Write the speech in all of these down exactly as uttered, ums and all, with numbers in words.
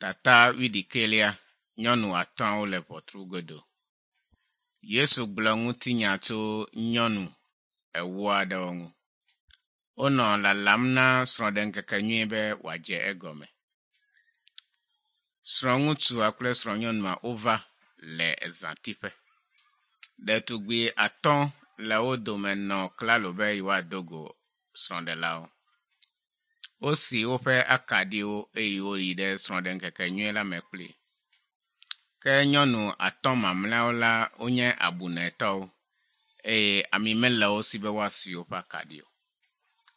Tata wuiɖekɛlia, nyɔnu atɔ̃awo le ʋɔtru godo. Yesu gblɔ ŋutinya tso nyɔnu ewo aɖewo ŋu. Wonɔ lalam na srɔ̃ɖeŋkekenyui be wòadze egɔme. Srɔ̃ŋutsua kple srɔ̃nyɔnua wova le ezãtiƒe. Ɖetugbi atɔ̃ le wo dome nɔ klalo be yewoado go srɔ̃ɖelawo. Wosi woƒe akaɖiwo eye woyi ɖe srɔ̃ɖeŋkekenyui la me kpli. Ke nyɔnu atɔ̃ mamleawo la wonye abunɛtɔwo eye ami mele wo si be woasi woƒe akaɖi o.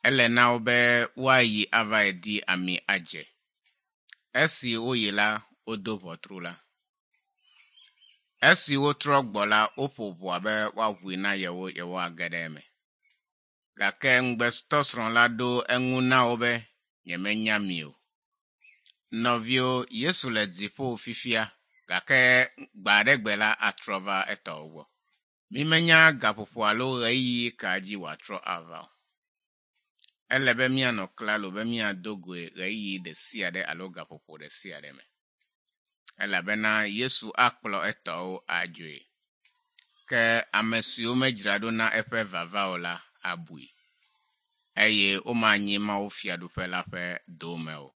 Ele na wo be woayi avae di ami adze. Esi woyi la, wodo ʋɔtru la. Esi wotrɔ gbɔ la, woƒo ʋɔa be woaʋui na yewo yewoage ɖe eme. Gake ŋugbetɔsrɔ̃ la ɖo eŋu na wo be, nyemenya mi o. Nɔviwo, Yesu le dziƒo fifia gake gbe aɖe gbe la atrɔ va etɔwo gbɔ. Mímenya gaƒoƒo alo ɣeyiɣi ka dzi wòatrɔ ava o. Ele be míanɔ klalo be míado goe ɣeyiɣi ɖe sia ɖe alo gaƒoƒo ɖe sia ɖe me. Elabena Yesu akplɔ etɔwo adzoe. Ke ame siwo medzra ɖo na eƒe vava o la abui eye womanyi Mawu fiaɖuƒe la ƒe dome o.